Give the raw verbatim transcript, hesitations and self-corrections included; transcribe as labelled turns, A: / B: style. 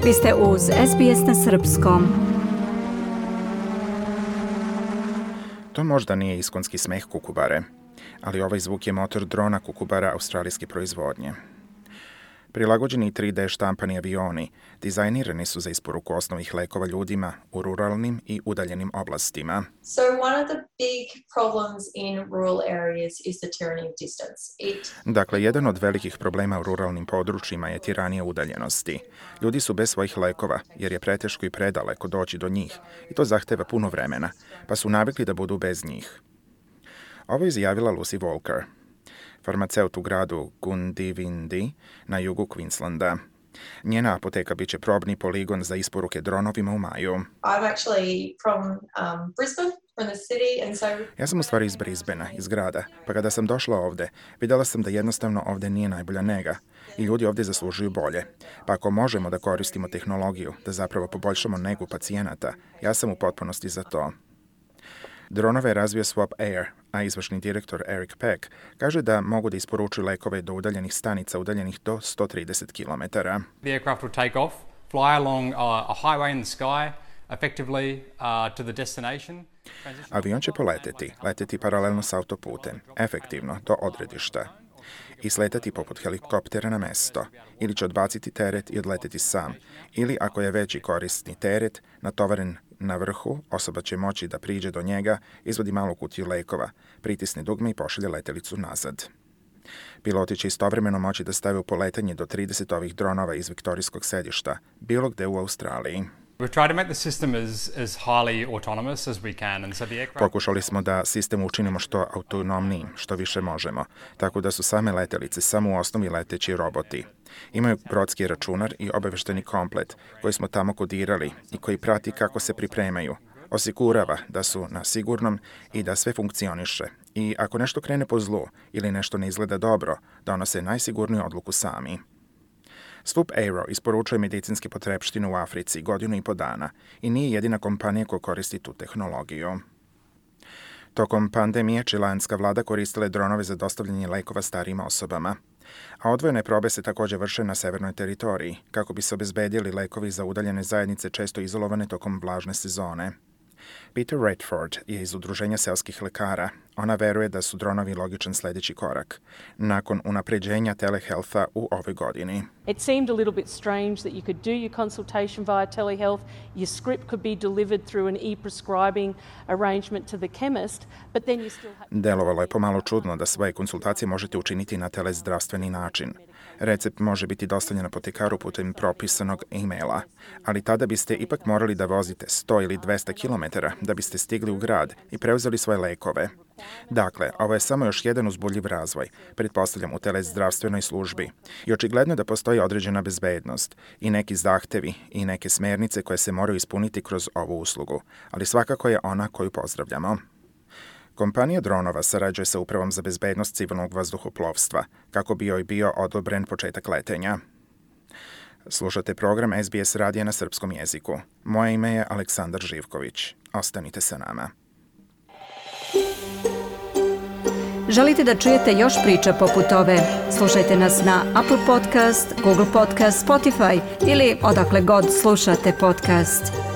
A: Vi ste uz es be es na srpskom.
B: To možda nije iskonski smeh kukubare, ali ovaj zvuk je motor drona kukubara australijske proizvodnje. Prilagođeni tri de štampani avioni dizajnirani su za isporuku osnovnih lekova ljudima u ruralnim i udaljenim oblastima.
C: So one of the big problems in rural areas is the tyranny of distance. It...
B: Dakle, jedan od velikih problema u ruralnim područjima je tiranija udaljenosti. Ljudi su bez svojih lekova, jer je preteško i predaleko doći do njih i to zahteva puno vremena, pa su navikli da budu bez njih. Ovo je izjavila Lucy Walker, farmaceut u gradu Goondiwindi na jugu Queenslanda. Njena apoteka biće probni poligon za isporuke dronovima u maju.
C: I'm actually from um, Brisbane, from the city, and so...
B: Ja sam u stvari iz Brisbanea, iz grada, pa kada sam došla ovde, videla sam da jednostavno ovde nije najbolja nega i ljudi ovde zaslužuju bolje. Pa ako možemo da koristimo tehnologiju, da zapravo poboljšamo negu pacijenata, ja sam u potpunosti za to. Dronove je razvio Swap Air, a izvršni direktor Eric Peck kaže da mogu da isporučuju lekove do udaljenih stanica udaljenih do sto trideset kilometara.
D: The aircraft will take off, fly along a highway in the sky, effectively uh, to the destination.
B: Avion će poleteti, leteti paralelno s autoputem, efektivno do odredišta i sletati poput helikoptera na mesto, ili će odbaciti teret i odleteti sam, ili ako je veći korisni teret, natovaren na vrhu, osoba će moći da priđe do njega, izvadi malu kutiju lekova, pritisne dugme i pošalje letelicu nazad. Piloti će istovremeno moći da stave u poletanje do trideset ovih dronova iz viktorijskog sedišta, bilo gde u Australiji. Pokušali smo da sistem učinimo što autonomniji, što više možemo, tako da su same letelice samo u osnovi leteći roboti. Imaju brodski računar i obavešteni komplet koji smo tamo kodirali i koji prati kako se pripremaju. Osigurava da su na sigurnom i da sve funkcioniše. I ako nešto krene po zlu ili nešto ne izgleda dobro, donose najsigurniju odluku sami. Swoop Aero isporučuje medicinske potrepštine u Africi godinu i po dana i nije jedina kompanija koja koristi tu tehnologiju. Tokom pandemije čileanska vlada koristila je dronove za dostavljanje lekova starijim osobama, a odvojene probe se također vrše na severnoj teritoriji, kako bi se obezbedili lekovi za udaljene zajednice često izolovane tokom vlažne sezone. Peter Redford je iz Udruženja seoskih lekara. Ona veruje da su dronovi logičan sledeći korak, nakon unapređenja telehealtha u ovoj godini.
E: It seemed a little bit strange that you could do your consultation via telehealth, your script could be delivered through an e-prescribing arrangement to the chemist, but then you still have...
B: Delovalo je pomalo čudno da svoje konsultacije možete učiniti na telezdravstveni način. Recept može biti dostavljen apotekaru putem propisanog e-maila, ali tada biste ipak morali da vozite sto ili dvesta kilometara da biste stigli u grad i preuzeli svoje lekove. Dakle, ovo je samo još jedan uzbudljiv razvoj, pretpostavljam u telezdravstvenoj službi. I očigledno da postoji određena bezbednost i neki zahtevi i neke smernice koje se moraju ispuniti kroz ovu uslugu, ali svakako je ona koju pozdravljamo. Kompanija dronova sarađuje sa Upravom za bezbednost civilnog vazduhoplovstva, kako bi joj bio odobren početak letenja. Slušate program es be es radija na srpskom jeziku. Moje ime je Aleksandar Živković. Ostanite sa nama.
A: Želite da čujete još priča poput ove? Slušajte nas na Apple Podcast, Google Podcast, Spotify ili odakle god slušate podcast.